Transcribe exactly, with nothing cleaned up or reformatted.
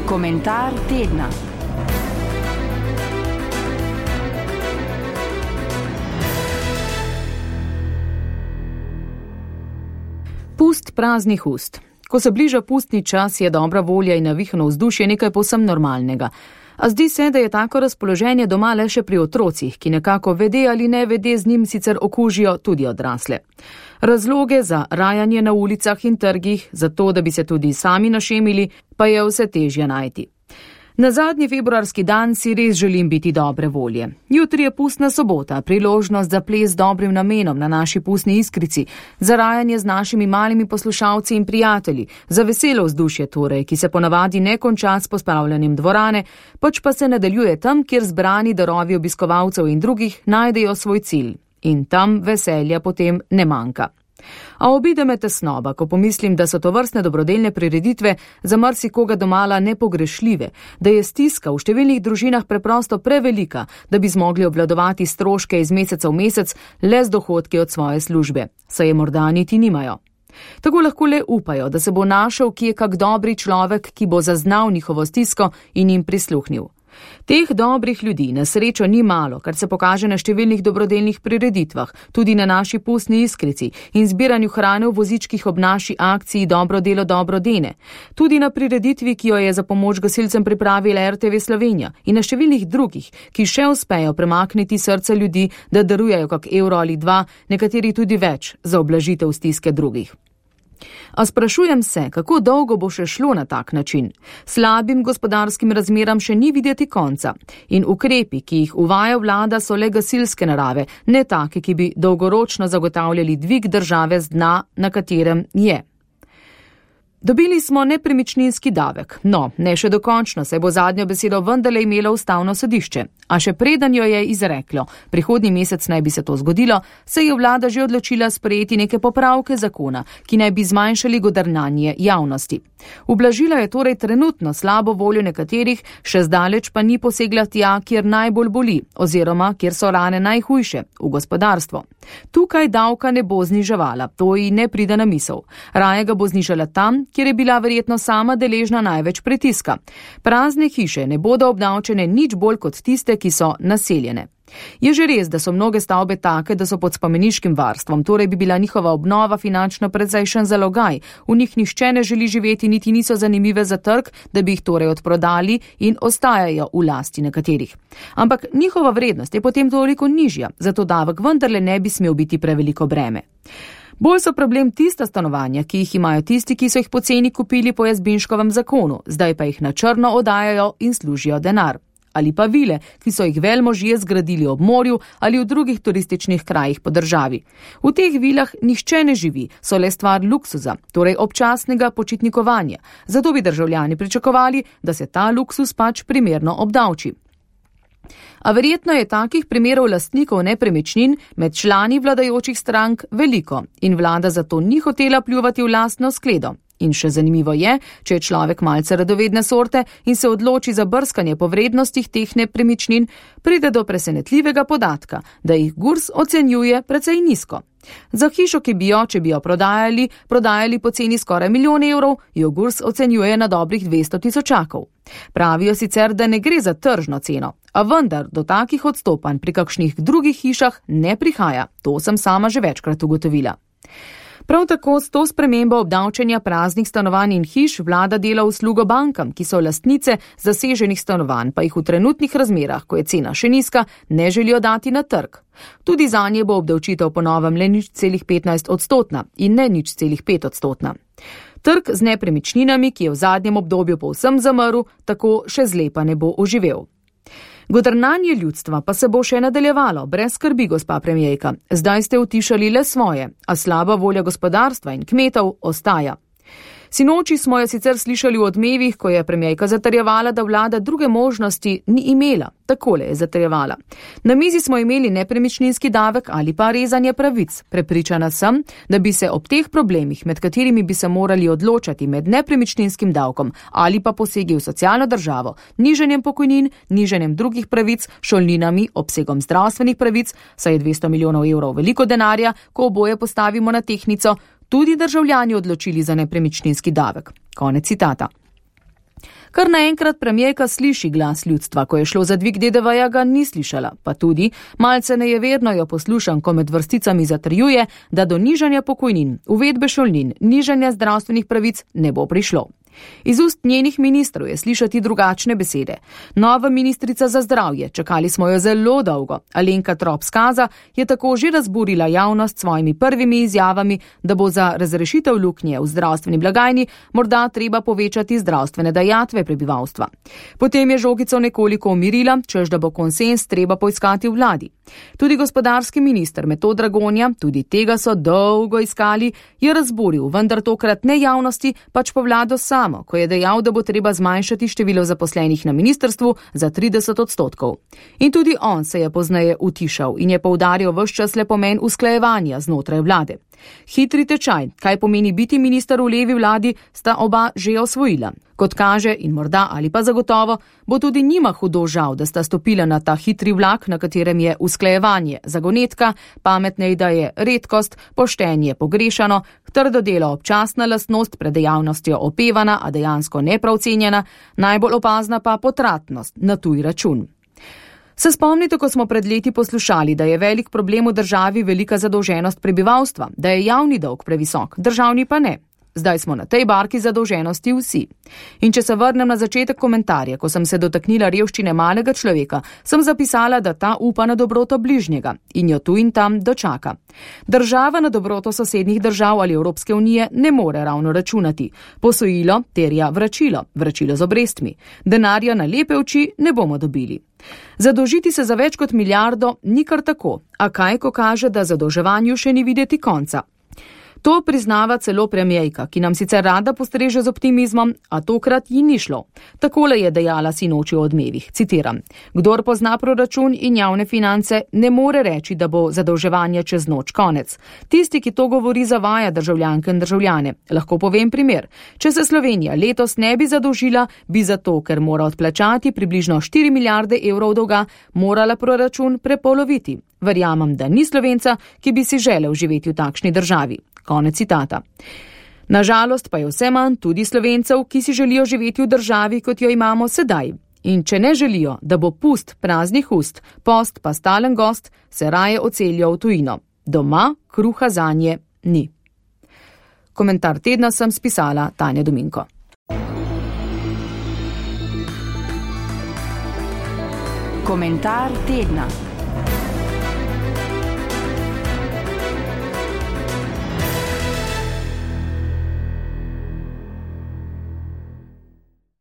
Komentar tedna. Pust praznih ust. Ko se bliža pustni čas, je dobra volja in navihano vzdušje nekaj povsem normalnega. A zdi se, da je tako razpoloženje doma le še pri otrocih, ki nekako vede ali ne vede z njim sicer okužijo tudi odrasle. Razloge za rajanje na ulicah in trgih, za to, da bi se tudi sami našemili, pa je vse težje najti. Na zadnji februarski dan si res želim biti dobre volje. Jutri je pustna sobota, priložnost za ples z dobrim namenom na naši pustni iskrici, za rajanje z našimi malimi poslušalci in prijatelji, za veselo vzdušje torej, ki se ponavadi ne konča s pospravljanjem dvorane, pač pa se nadaljuje tam, kjer zbrani darovi obiskovalcev in drugih najdejo svoj cilj. In tam veselja potem ne manjka. A obide me tesnoba, ko pomislim, da so to vrstne dobrodelne prireditve za marsikoga domala nepogrešljive, da je stiska v številnih družinah preprosto prevelika, da bi zmogli obvladovati stroške iz meseca v mesec le z dohodki od svoje službe, saj je morda niti nimajo. Tako lahko le upajo, da se bo našel kje kak dobri človek, ki bo zaznal njihovo stisko in jim prisluhnil. Teh dobrih ljudi na srečo ni malo, kar se pokaže na številnih dobrodelnih prireditvah, tudi na naši pustni iskrici in zbiranju hrane v vozičkih ob naši akciji Dobro delo dobro dene, tudi na prireditvi, ki jo je za pomoč gasilcem pripravila R T V Slovenija in na številnih drugih, ki še uspejo premakniti srce ljudi, da darujejo kak evro ali dva, nekateri tudi več, za ublažitev stiske drugih. A sprašujem se, kako dolgo bo še šlo na tak način. Slabim gospodarskim razmeram še ni videti konca in ukrepi, ki jih uvaja vlada, so le gasilske narave, ne take, ki bi dolgoročno zagotavljali dvig države z dna, na katerem je. Dobili smo nepremičninski davek. No, ne še dokončno, se bo zadnjo besedo vendarle imelo ustavno sodišče. A še preden jo je izreklo, prihodnji mesec naj bi se to zgodilo, se je vlada že odločila sprejeti neke popravke zakona, ki naj bi zmanjšali godrnanje javnosti. Ublažila je torej trenutno slabo voljo nekaterih, še zdaleč pa ni posegla tja, kjer najbolj boli, oziroma kjer so rane najhujše, v gospodarstvo. Tukaj davka ne bo zniževala, to ji ne pride na misel. Raje ga bo znižala tam, kjer je bila verjetno sama deležna največ pritiska. Prazne hiše ne bodo obdavčene nič bolj kot tiste, ki so naseljene. Je že res, da so mnoge stavbe take, da so pod spomeniškim varstvom, torej bi bila njihova obnova finančno precejšen zalogaj, v njih nihče ne želi živeti, niti niso zanimive za trg, da bi jih torej odprodali in ostajajo v lasti nekaterih. Ampak njihova vrednost je potem toliko nižja, zato davek vendarle ne bi smel biti preveliko breme. Bolj so problem tista stanovanja, ki jih imajo tisti, ki so jih poceni kupili po Jazbinškovem zakonu, zdaj pa jih na črno oddajajo in služijo denar. Ali pa vile, ki so jih velmožje zgradili ob morju ali v drugih turističnih krajih po državi. V teh vilah nihče ne živi, so le stvar luksuza, torej občasnega počitnikovanja. Zato bi državljani pričakovali, da se ta luksus pač primerno obdavči. A verjetno je takih primerov lastnikov nepremičnin med člani vladajočih strank veliko in vlada zato ni hotela pljuvati v lastno skledo. In še zanimivo je, če je človek malce radovedne sorte in se odloči za brskanje po vrednostih teh nepremičnin, pride do presenetljivega podatka, da jih Gurs ocenjuje precej nizko. Za hišo, ki bi jo, če bi jo prodajali, prodajali po ceni skoraj milijon evrov, jo Gurs ocenjuje na dobrih dvesto tisočakov. Pravijo sicer, da ne gre za tržno ceno, a vendar do takih odstopanj pri kakšnih drugih hišah ne prihaja. To sem sama že večkrat ugotovila. Prav tako s to spremembo obdavčenja praznih stanovanj in hiš vlada dela uslugo bankam, ki so lastnice zaseženih stanovanj, pa jih v trenutnih razmerah, ko je cena še nizka, ne želijo dati na trg. Tudi zanje bo obdavčitev po novem le nič celih petnajst odstotna in ne nič celih pet odstotna. Trg z nepremičninami, ki je v zadnjem obdobju povsem zamrl, tako še zlepa ne bo oživel. Godrnanje ljudstva pa se bo še nadaljevalo, brez skrbi, gospa premijerka. Zdaj ste utišali le svoje, a slaba volja gospodarstva in kmetov ostaja. Sinoči smo jo sicer slišali v odmevih, ko je premijerka zatrjevala, da vlada druge možnosti ni imela. Takole je zatrjevala. Na mizi smo imeli nepremičninski davek ali pa rezanje pravic. Prepričana sem, da bi se ob teh problemih, med katerimi bi se morali odločati med nepremičninskim davkom ali pa posegi v socialno državo, nižanjem pokojnin, nižanjem drugih pravic, šolninami, obsegom zdravstvenih pravic, saj je dvesto milijonov evrov veliko denarja, ko oboje postavimo na tehtnico, tudi državljani odločili za nepremičninski davek. Konec citata. Kar naenkrat premijerka sliši glas ljudstva, ko je šlo za dvig D D V-ja, ga ni slišala, pa tudi malce nejeverno jo poslušam, ko med vrsticami zatrjuje, da do nižanja pokojnin, uvedbe šolnin, nižanja zdravstvenih pravic ne bo prišlo. Iz ust njenih ministrov je slišati drugačne besede. Nova ministrica za zdravje, čakali smo jo zelo dolgo. Alenka Trop Skaza je tako že razburila javnost s svojimi prvimi izjavami, da bo za razrešitev luknje v zdravstveni blagajni morda treba povečati zdravstvene dajatve prebivalstva. Potem je žogico nekoliko umirila, češ da bo konsens treba poiskati v vladi. Tudi gospodarski minister Metod Dragonja, tudi tega so dolgo iskali, je razburil, vendar tokrat ne javnosti, pač pa vlado samo, ko je dejal, da bo treba zmanjšati število zaposlenih na ministrstvu za trideset odstotkov. In tudi on se je pozneje utišal in je poudaril ves čas le pomen usklajevanja znotraj vlade. Hitri tečaj, kaj pomeni biti minister v levi vladi, sta oba že osvojila. Kot kaže in morda ali pa zagotovo, bo tudi njima hudo žal, da sta stopila na ta hitri vlak, na katerem je usklajevanje zagonetka, pametne ideje redkost, poštenje pogrešano, trdo delo občasna lastnost, pred dejavnostjo opevana, a dejansko neprav cenjena, najbolj opazna pa potratnost na tuj račun. Se spomnite, ko smo pred leti poslušali, da je velik problem v državi velika zadolženost prebivalstva, da je javni dolg previsok, državni pa ne. Zdaj smo na tej barki zadolženosti vsi. In če se vrnem na začetek komentarja, ko sem se dotaknila revščine malega človeka, sem zapisala, da ta upa na dobroto bližnjega in jo tu in tam dočaka. Država na dobroto sosednjih držav ali Evropske unije ne more ravno računati. Posojilo terja vračilo, vračilo z obrestmi. Denarja na lepe oči ne bomo dobili. Zadolžiti se za več kot milijardo ni kar tako, a kaj, ko kaže, da zadolževanju še ni videti konca. To priznava celo premijerka, ki nam sicer rada postreže z optimizmom, a tokrat ji ni šlo. Takole je dejala sinoči v Odmevih, citiram: "Kdor pozna proračun in javne finance, ne more reči, da bo zadolževanje čez noč konec. Tisti, ki to govori, zavaja državljanke in državljane. Lahko povem primer. Če se Slovenija letos ne bi zadolžila, bi zato, ker mora odplačati približno štiri milijarde evrov dolga, morala proračun prepoloviti. Verjamem, da ni Slovenca, ki bi si želel živeti v takšni državi." Konec citata. Nažalost pa je vse manj tudi Slovencev, ki si želijo živeti v državi, kot jo imamo sedaj. In če ne želijo, da bo pust praznih ust, post pa stalen gost, se raje odselijo v tujino. Doma kruha zanje ni. Komentar tedna sem spisala Tanja Dominko. Komentar tedna.